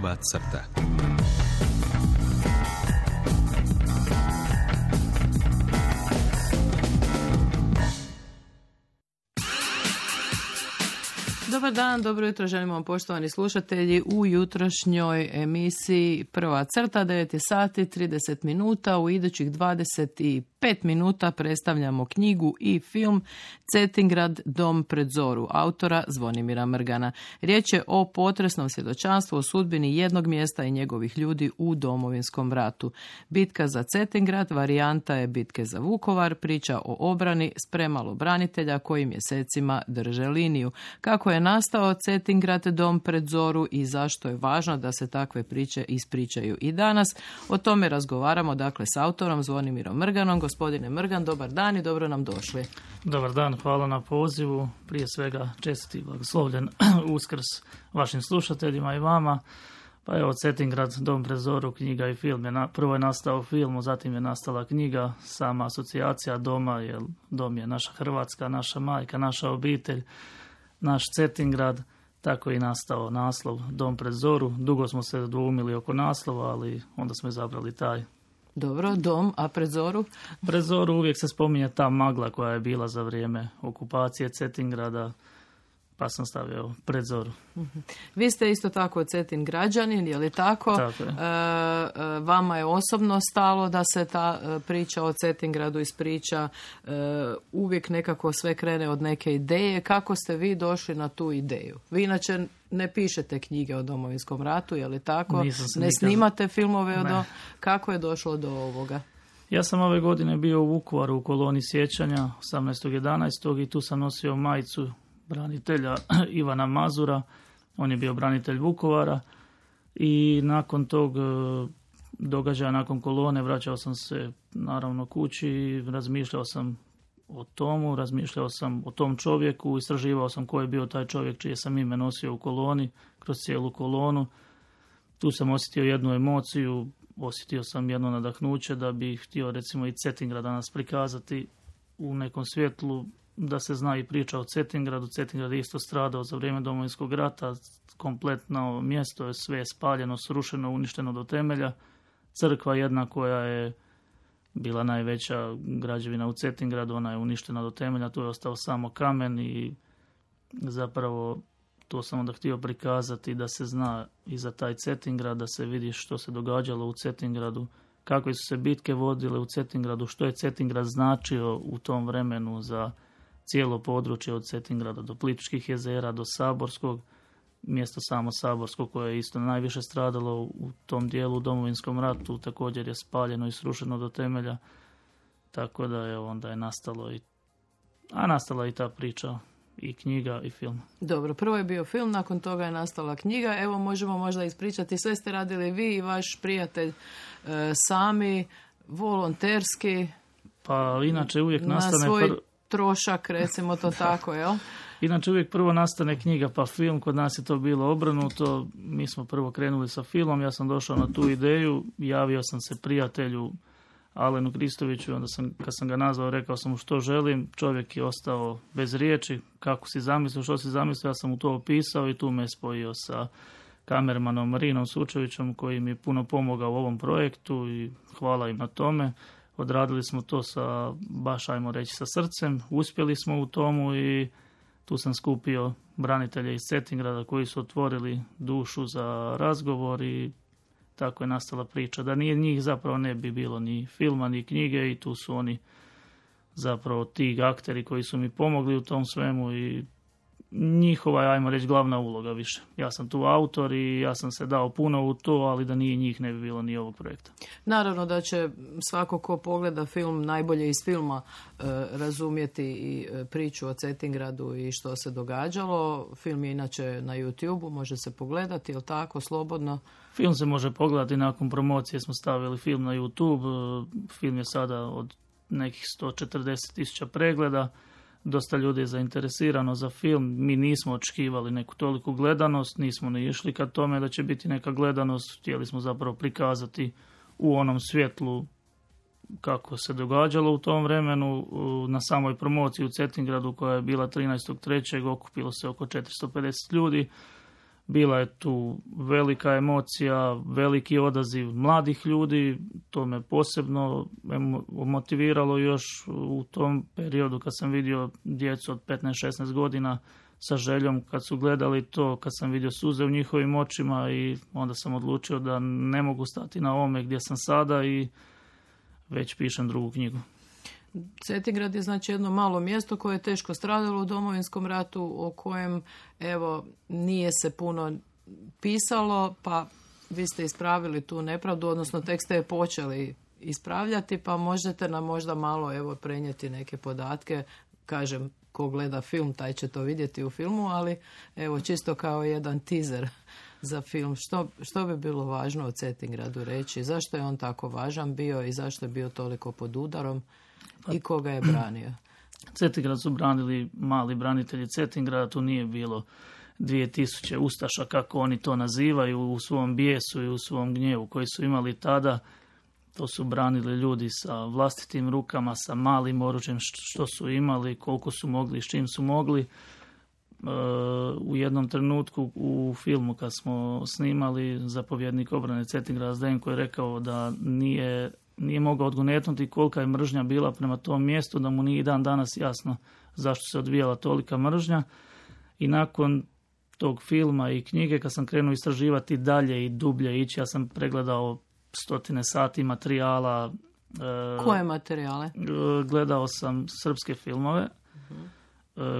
Prva crta. Dobar dan, dobro jutro želimo vam poštovani slušatelji u jutrošnjoj emisiji Prva crta, 9 sati 30 minuta. U idućih 25 minuta predstavljamo knjigu i film Cetingrad, dom pred zoru, autora Zvonimira Mrgana. Riječ je o potresnom svjedočanstvu o sudbini jednog mjesta i njegovih ljudi u Domovinskom ratu. Bitka za Cetingrad varijanta je bitke za Vukovar, priča o obrani s premalo branitelja koji mjesecima drže liniju. Kako je nastao Cetingrad, dom pred zoru i zašto je važno da se takve priče ispričaju i danas. O tome razgovaramo dakle s autorom Zvonimirom Mrganom. Gospodine Mrgan, dobar dan i dobro nam došli. Dobar dan, hvala na pozivu. Prije svega čestit i blagoslovljen Uskrs vašim slušateljima i vama. Pa evo, Cetingrad, dom pred zoru, knjiga i film. Prvo je nastao film, zatim je nastala knjiga, sama asocijacija doma, jer dom je naša Hrvatska, naša majka, naša obitelj, naš Cetingrad. Tako je i nastao naslov Dom pred zoru. Dugo smo se dvoumili oko naslova, ali onda smo izabrali taj. Dobro, dom, a pred zoru? Pred zoru uvijek se spominje ta magla koja je bila za vrijeme okupacije Cetingrada, pa sam stavio pred zoru. Vi ste isto tako Cetingrađanin, je li tako? Tako je. Vama je osobno stalo da se ta priča o Cetingradu ispriča. Uvijek nekako sve krene od neke ideje. Kako ste vi došli na tu ideju? Vi inače ne pišete knjige o Domovinskom ratu, je li tako? Ne snimate filmove Kako je došlo do ovoga? Ja sam ove godine bio u Vukovaru u koloni sjećanja 18.11. i tu sam nosio majicu branitelja Ivana Mazura. On je bio branitelj Vukovara i nakon tog događaja, nakon kolone, vraćao sam se naravno kući i razmišljao sam o tomu, razmišljao sam o tom čovjeku, istraživao sam ko je bio taj čovjek čije sam ime nosio u koloni, kroz cijelu kolonu. Tu sam osjetio jednu emociju, osjetio sam jedno nadahnuće da bih htio recimo i Cetingrad danas prikazati u nekom svjetlu, da se zna i priča o Cetingradu. Cetingrad je isto stradao za vrijeme Domovinskog rata, kompletno mjesto je sve spaljeno, srušeno, uništeno do temelja. Crkva jedna koja je bila najveća građevina u Cetingradu, ona je uništena do temelja, tu je ostao samo kamen i zapravo to sam onda htio prikazati da se zna i za taj Cetingrad, da se vidi što se događalo u Cetingradu, kakve su se bitke vodile u Cetingradu, što je Cetingrad značio u tom vremenu za cijelo područje od Cetingrada do Plitvičkih jezera, do Saborskog, mjesto samo Saborsko koje je isto najviše stradalo u tom dijelu u Domovinskom ratu, također je spaljeno i srušeno do temelja, tako da je onda je nastala i ta priča i knjiga i film. Dobro, prvo je bio film, nakon toga je nastala knjiga. Evo možemo možda ispričati, sve ste radili vi i vaš prijatelj sami, volonterski. Pa inače uvijek nastane... Na svoj trošak, recimo to tako, jel? Inače uvijek prvo nastane knjiga pa film, kod nas je to bilo obrnuto. Mi smo prvo krenuli sa filmom, ja sam došao na tu ideju, javio sam se prijatelju Alenu Kristoviću, onda kad sam ga nazvao, rekao sam mu što želim, čovjek je ostao bez riječi, kako si zamislio, što si zamislio, ja sam mu to opisao i tu me spojio sa kamermanom Marinom Sučevićem koji mi je puno pomogao u ovom projektu i hvala im na tome. Odradili smo to sa, baš ajmo reći, sa srcem, uspjeli smo u tomu i tu sam skupio branitelje iz Cetingrada koji su otvorili dušu za razgovor i tako je nastala priča. Da nije njih zapravo ne bi bilo ni filma ni knjige i tu su oni zapravo ti akteri koji su mi pomogli u tom svemu i njihova je, ajmo reći, glavna uloga više. Ja sam tu autor i ja sam se dao puno u to, ali da nije njih ne bi bilo ni ovog projekta. Naravno da će svako ko pogleda film najbolje iz filma razumjeti i priču o Cetingradu i što se događalo. Film je inače na YouTube-u, može se pogledati, je li tako, slobodno? Film se može pogledati, nakon promocije smo stavili film na YouTube. Film je sada od nekih 140.000 pregleda. Dosta ljudi je zainteresirano za film. Mi nismo očekivali neku toliku gledanost, nismo ne išli ka tome da će biti neka gledanost. Htjeli smo zapravo prikazati u onom svjetlu kako se događalo u tom vremenu. Na samoj promociji u Cetingradu koja je bila 13.3. okupilo se oko 450 ljudi. Bila je tu velika emocija, veliki odaziv mladih ljudi, to me posebno motiviralo još u tom periodu kad sam vidio djecu od 15-16 godina sa željom, kad su gledali to, kad sam vidio suze u njihovim očima i onda sam odlučio da ne mogu stati na ovome gdje sam sada i već pišem drugu knjigu. Cetingrad je znači jedno malo mjesto koje je teško stradalo u Domovinskom ratu, o kojem evo nije se puno pisalo, pa vi ste ispravili tu nepravdu, odnosno tek ste je počeli ispravljati, pa možete nam možda malo evo prenijeti neke podatke. Kažem, ko gleda film, taj će to vidjeti u filmu, ali evo čisto kao jedan teaser za film. Što bi bilo važno o Cetingradu reći? Zašto je on tako važan bio i zašto je bio toliko pod udarom i koga je branio? Cetingrad su branili mali branitelji Cetingrada, tu nije bilo 2000 ustaša, kako oni to nazivaju, u svom bijesu i u svom gnjevu koji su imali tada. To su branili ljudi sa vlastitim rukama, sa malim oružjem što su imali, koliko su mogli i s čim su mogli. U jednom trenutku u filmu kad smo snimali, zapovjednik obrane Cetingrada Zdenko je rekao da nije mogao odgonetnuti kolika je mržnja bila prema tom mjestu, da mu nije dan danas jasno zašto se odvijala tolika mržnja. I nakon tog filma i knjige, kad sam krenuo istraživati dalje i dublje ići, ja sam pregledao 100 sati materijala. Koje materijale? Gledao sam srpske filmove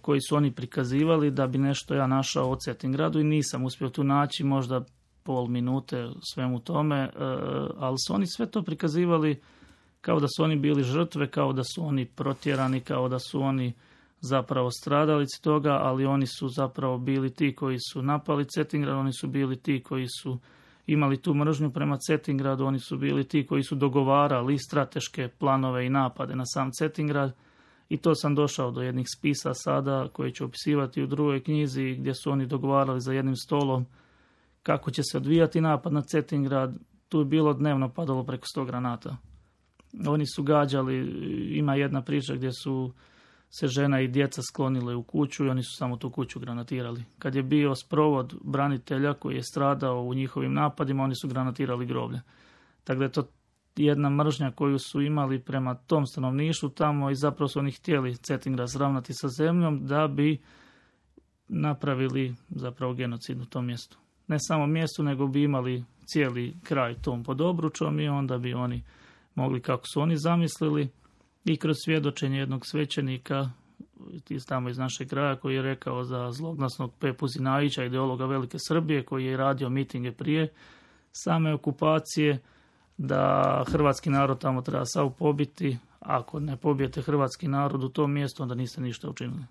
koji su oni prikazivali da bi nešto ja našao o Cetingradu i nisam uspio tu naći, možda pol minute svemu tome, ali su oni sve to prikazivali kao da su oni bili žrtve, kao da su oni protjerani, kao da su oni zapravo stradalici toga, ali oni su zapravo bili ti koji su napali Cetingrad, oni su bili ti koji su imali tu mržnju prema Cetingradu, oni su bili ti koji su dogovarali strateške planove i napade na sam Cetingrad. I to sam došao do jednih spisa sada koji ću opisivati u drugoj knjizi, gdje su oni dogovarali za jednim stolom kako će se odvijati napad na Cetingrad. Tu je bilo dnevno padalo preko 100 granata. Oni su gađali, ima jedna priča gdje su se žena i djeca sklonile u kuću i oni su samo tu kuću granatirali. Kad je bio sprovod branitelja koji je stradao u njihovim napadima, oni su granatirali groblje. Tako da je to jedna mržnja koju su imali prema tom stanovništvu tamo i zapravo su oni htjeli Cetingrad sravnati sa zemljom da bi napravili zapravo genocid u tom mjestu. Ne samo mjestu, nego bi imali cijeli kraj tom pod obručom i onda bi oni mogli, kako su oni zamislili, i kroz svjedočenje jednog svećenika tamo iz našeg kraja koji je rekao za zloglasnog Pepu Zinajića, ideologa Velike Srbije, koji je radio mitinge prije same okupacije, da hrvatski narod tamo treba sav pobiti. Ako ne pobijete hrvatski narod u tom mjestu, onda niste ništa učinili.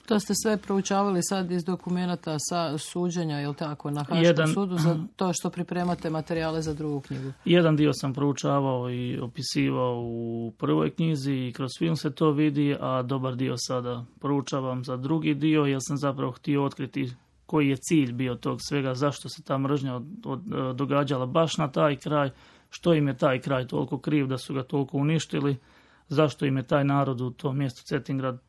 To ste sve proučavali sad iz dokumenata sa suđenja, je li tako, na Haškom sudu, za to što pripremate materijale za drugu knjigu? Jedan dio sam proučavao i opisivao u prvoj knjizi i kroz film se to vidi, a dobar dio sada proučavam za drugi dio, jer sam zapravo htio otkriti koji je cilj bio tog svega, zašto se ta mržnja događala baš na taj kraj, što im je taj kraj toliko kriv da su ga toliko uništili, zašto im je taj narod u tom mjestu Cetingrad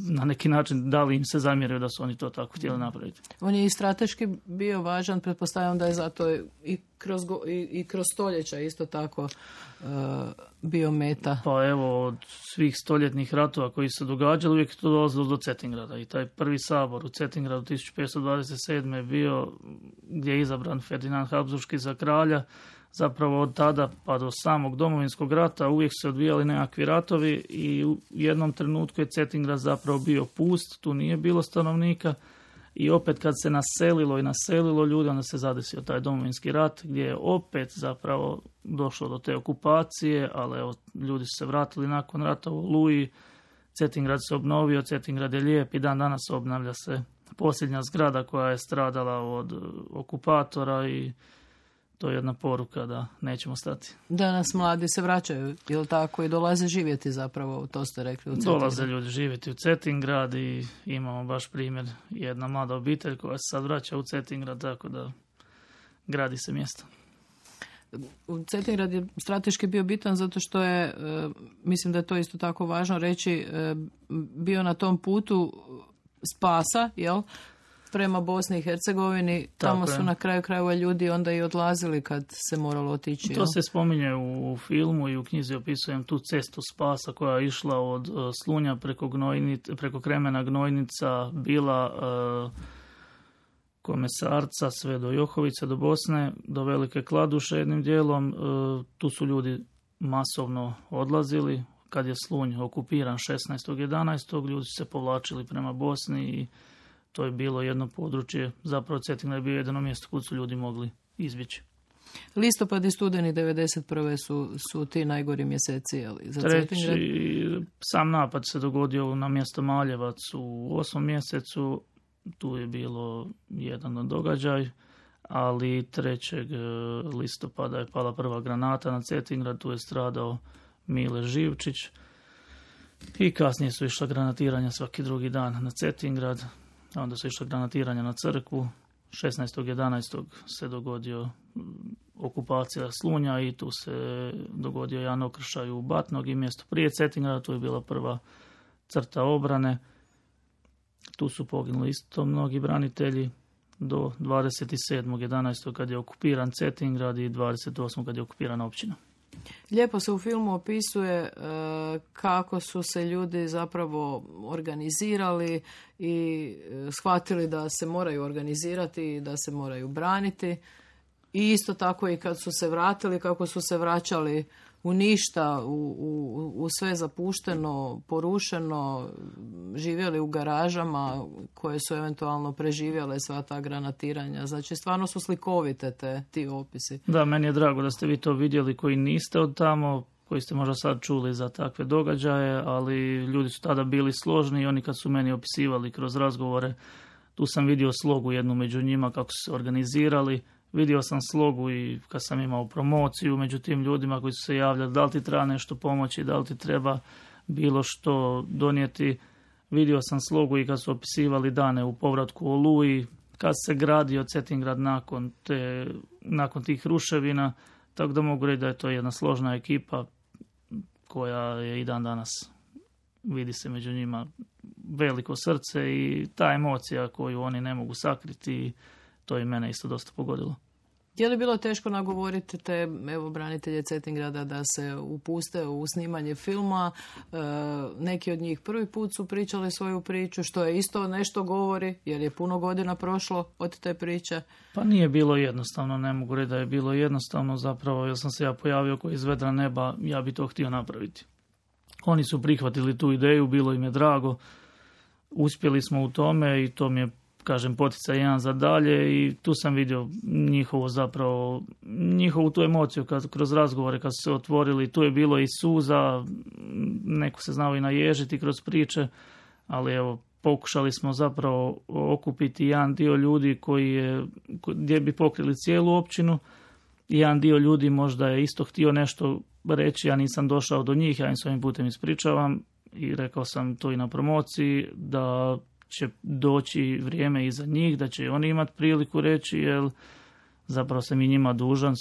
na neki način, da li im se zamjerio da su oni to tako htjeli napraviti. On je i strateški bio važan, pretpostavljam da je zato i kroz stoljeća isto tako bio meta. Pa evo, od svih stoljetnih ratova koji se događali, uvijek to dolazilo do Cetingrada. I taj prvi sabor u Cetingradu 1527. je bio gdje je izabran Ferdinand Habsburški za kralja. Zapravo od tada pa do samog Domovinskog rata uvijek se odvijali nekakvi ratovi i u jednom trenutku je Cetingrad zapravo bio pust, tu nije bilo stanovnika i opet kad se naselilo ljudi, onda se zadesio taj Domovinski rat gdje je opet zapravo došlo do te okupacije, ali evo, ljudi su se vratili nakon rata u Oluji, Cetingrad se obnovio, Cetingrad je lijep i dan danas obnavlja se posljednja zgrada koja je stradala od okupatora i to je jedna poruka da nećemo stati. Danas mladi se vraćaju, je li tako, i dolaze živjeti zapravo, to ste rekli, u Cetingrad? Dolaze ljudi živjeti u Cetingrad i imamo baš primjer jedna mlada obitelj koja se sad vraća u Cetingrad, tako da gradi se mjesto. Cetingrad je strateški bio bitan zato što je, mislim da je to isto tako važno reći, bio na tom putu spasa, jel? prema Bosni i Hercegovini. Tamo su na kraju krajeva ljudi onda i odlazili kad se moralo otići. To se spominje u filmu i u knjizi opisujem tu cestu spasa koja je išla od Slunja preko Kremena, Gnojnica, Bila, Komesarca, sve do Johovice, do Bosne, do Velike Kladuše jednim dijelom. Tu su ljudi masovno odlazili. Kad je Slunj okupiran 16.11. ljudi su se povlačili prema Bosni i to je bilo jedno područje, zapravo Cetingrad je bio jedno mjesto kud su ljudi mogli izbjeći. Listopad i studeni 1991. su ti najgori mjeseci za Cetingrad. Sam napad se dogodio na mjesto Maljevac u 8. mjesecu, tu je bilo jedan događaj, ali 3. listopada je pala prva granata na Cetingrad, tu je stradao Mile Živčić i kasnije su išla granatiranja svaki drugi dan na Cetingrad, onda su išla granatiranja na crkvu. 16.11. se dogodio okupacija Slunja i tu se dogodio jedan okršaj u Batnog i mjesto prije Cetingrada, tu je bila prva crta obrane. Tu su poginuli isto mnogi branitelji do 27.11. kad je okupiran Cetingrad i 28. kad je okupirana općina. Lijepo se u filmu opisuje kako su se ljudi zapravo organizirali i shvatili da se moraju organizirati i da se moraju braniti. I isto tako i kad su se vratili, kako su se vraćali u ništa, u sve zapušteno, porušeno, živjeli u garažama koje su eventualno preživjele sva ta granatiranja. Znači, stvarno su slikovite ti opisi. Da, meni je drago da ste vi to vidjeli koji niste od tamo, koji ste možda sad čuli za takve događaje, ali ljudi su tada bili složni i oni kad su meni opisivali kroz razgovore, tu sam vidio slogu jednu među njima kako su se organizirali. Vidio sam slogu i kad sam imao promociju među tim ljudima koji su se javljali da li ti treba nešto pomoći, da li ti treba bilo što donijeti. Vidio sam slogu i kad su opisivali dane u povratku Oluji, kad se gradio Cetingrad nakon tih ruševina, tako da mogu reći da je to jedna složna ekipa koja je i dan danas, vidi se među njima veliko srce i ta emocija koju oni ne mogu sakriti, to je mene isto dosta pogodilo. Je li bilo teško nagovoriti te branitelje Cetingrada da se upuste u snimanje filma? Neki od njih prvi put su pričali svoju priču, što je isto nešto govori, jer je puno godina prošlo od te priče. Pa nije bilo jednostavno, ne mogu reći da je bilo jednostavno, zapravo jer sam se ja pojavio koji iz vedra neba, ja bi to htio napraviti. Oni su prihvatili tu ideju, bilo im je drago, uspjeli smo u tome i to mi je, kažem, poticaj jedan za dalje i tu sam vidio njihovu tu emociju kroz razgovore kad su se otvorili, tu je bilo i suza, neko se znao i naježiti kroz priče, ali evo, pokušali smo zapravo okupiti jedan dio ljudi gdje bi pokrili cijelu općinu i jedan dio ljudi možda je isto htio nešto reći, ja nisam došao do njih, ja im s ovim putem ispričavam i rekao sam to i na promociji, da će doći vrijeme iza njih, da će oni imati priliku reći, jer zapravo sam i njima dužan,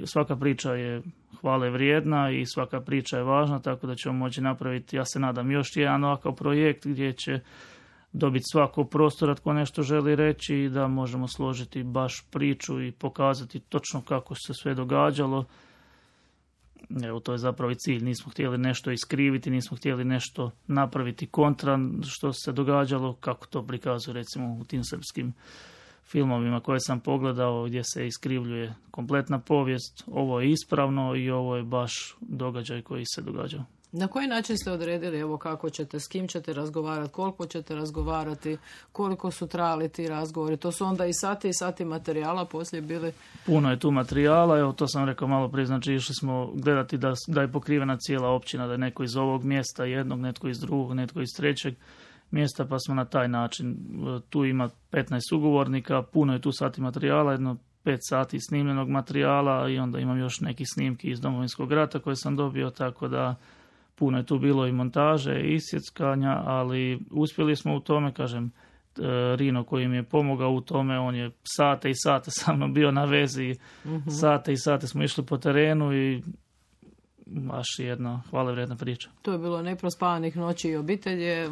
svaka priča je hvale vrijedna i svaka priča je važna, tako da ćemo moći napraviti, ja se nadam, još jedan ovakav projekt gdje će dobiti svako prostora tko nešto želi reći i da možemo složiti baš priču i pokazati točno kako se sve događalo. Evo, to je zapravo i cilj. Nismo htjeli nešto iskriviti, nismo htjeli nešto napraviti kontra što se događalo, kako to prikazuje recimo u tim srpskim filmovima koje sam pogledao gdje se iskrivljuje kompletna povijest. Ovo je ispravno i ovo je baš događaj koji se događao. Na koji način ste odredili, evo, kako ćete, s kim ćete razgovarati, koliko ćete razgovarati, koliko su trajali ti razgovori? To su onda i sati materijala poslije bili? Puno je tu materijala, evo to sam rekao malo prije, znači išli smo gledati da je pokrivena cijela općina, da je neko iz ovog mjesta jednog, netko iz drugog, netko iz trećeg mjesta, pa smo na taj način, tu ima 15 ugovornika, puno je tu sati materijala, jedno 5 sati snimljenog materijala i onda imam još neki snimki iz Domovinskog rata koje sam dobio, tako da puno je tu bilo i montaže i isjeckanja, ali uspjeli smo u tome, kažem, Rino koji mi je pomogao u tome, on je sate i sate sa mnom bio na vezi, sate i sate smo išli po terenu i baš jedna hvalevrijedna priča. To je bilo neprospavanih noći i obitelj je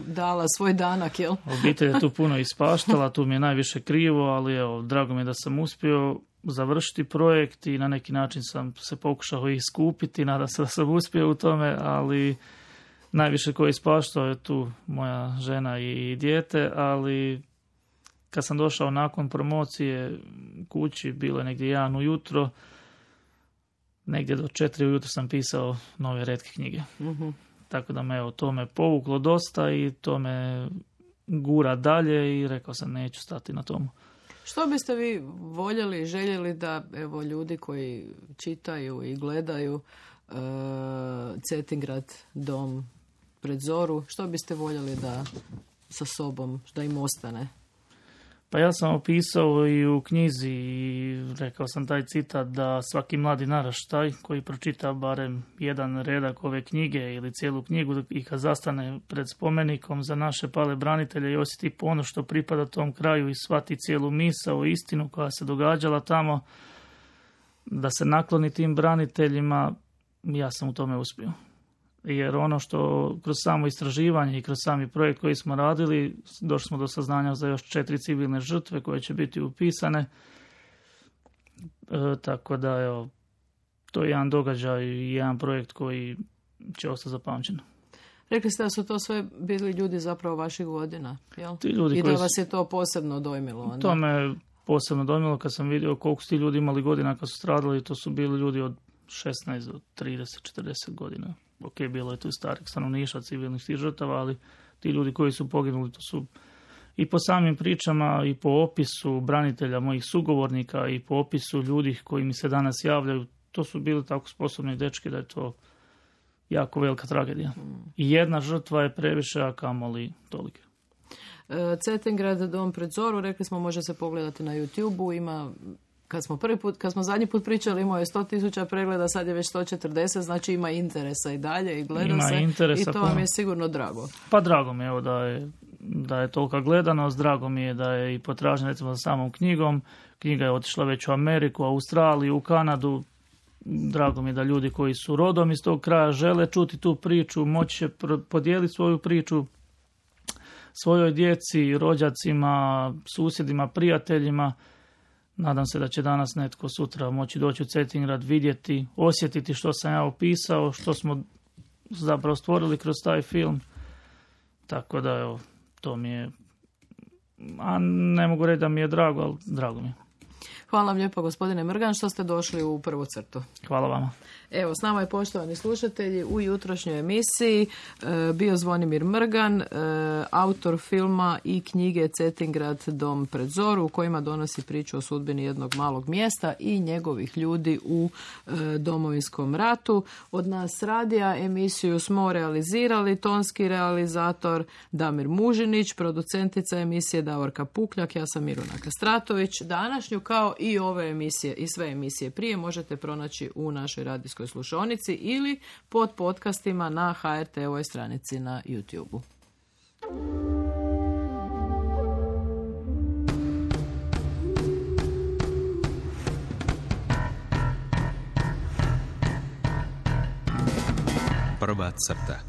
dala svoj danak, jel? Obitelj je tu puno ispaštala, tu mi je najviše krivo, ali evo, drago mi je da sam uspio završiti projekt i na neki način sam se pokušao iskupiti, nadam se da sam uspio u tome, ali najviše ko je ispaštao je tu moja žena i dijete, ali kad sam došao nakon promocije kući, bilo je negdje 1 ujutro, negdje do 4 ujutro sam pisao nove retke knjige. Mm-hmm. Tako da me to me povuklo dosta i to me gura dalje i rekao sam neću stati na tomu. Što biste vi voljeli i željeli da evo ljudi koji čitaju i gledaju Cetingrad dom pred zoru, što biste voljeli da sa sobom, da im ostane? Pa ja sam opisao i u knjizi i rekao sam taj citat da svaki mladi naraštaj koji pročita barem jedan redak ove knjige ili cijelu knjigu i kad zastane pred spomenikom za naše pale branitelje i osjeti ponos što pripada tom kraju i shvati cijelu misao, istinu koja se događala tamo, da se nakloni tim braniteljima, ja sam u tome uspio. Jer ono što kroz samo istraživanje i kroz sami projekt koji smo radili, došli smo do saznanja za još 4 civilne žrtve koje će biti upisane. Tako da, evo, to je jedan događaj i jedan projekt koji će ostati zapamćen. Rekli ste da su to sve bili ljudi zapravo vaših godina, jel? Ti ljudi i da koji vas je to posebno dojmilo onda? To me posebno dojmilo kad sam vidio koliko su ti ljudi imali godina kad su stradali. To su bili ljudi od 16 do 30-40 godina. Ok, bilo je tu starih stanovništva, civilnih tih žrtava, ali ti ljudi koji su poginuli, to su i po samim pričama i po opisu branitelja, mojih sugovornika i po opisu ljudi koji mi se danas javljaju, to su bili tako sposobni dečki da je to jako velika tragedija. I jedna žrtva je previše, a kamoli tolike. Cetingrad dom pred zoru, rekli smo, može se pogledati na YouTube-u, ima... Kad smo zadnji put pričali, imao je 100,000 pregleda, sad je već 140, znači ima interesa i dalje i gleda ima se interesa, i to vam je sigurno drago. Pa drago mi je evo, da je tolika gledanost, drago mi je da je i potražnja recimo za samom knjigom. Knjiga je otišla već u Ameriku, Australiju, u Kanadu. Drago mi je da ljudi koji su rodom iz tog kraja žele čuti tu priču, moći će podijeliti svoju priču svojoj djeci, rođacima, susjedima, prijateljima. Nadam se da će danas netko sutra moći doći u Cetingrad, vidjeti, osjetiti što sam ja opisao, što smo zapravo stvorili kroz taj film. Tako da, evo, to mi je, a ne mogu reći da mi je drago, ali drago mi je. Hvala vam lijepo, gospodine Mrgan, što ste došli u prvu crtu. Hvala vama. Evo, s nama je, poštovani slušatelji, u jutrošnjoj emisiji bio Zvonimir Mrgan, autor filma i knjige Cetingrad dom pred zoru, u kojima donosi priču o sudbini jednog malog mjesta i njegovih ljudi u Domovinskom ratu. Od nas radija emisiju smo realizirali tonski realizator Damir Mužinić, producentica emisije Davorka Pukljak, ja sam Miruna Kastratović. Današnju, kao i ove emisije i sve emisije prije, možete pronaći u našoj radijskoj slušonici ili pod podcastima na HRT-ovoj stranici na YouTube-u. Prva crta.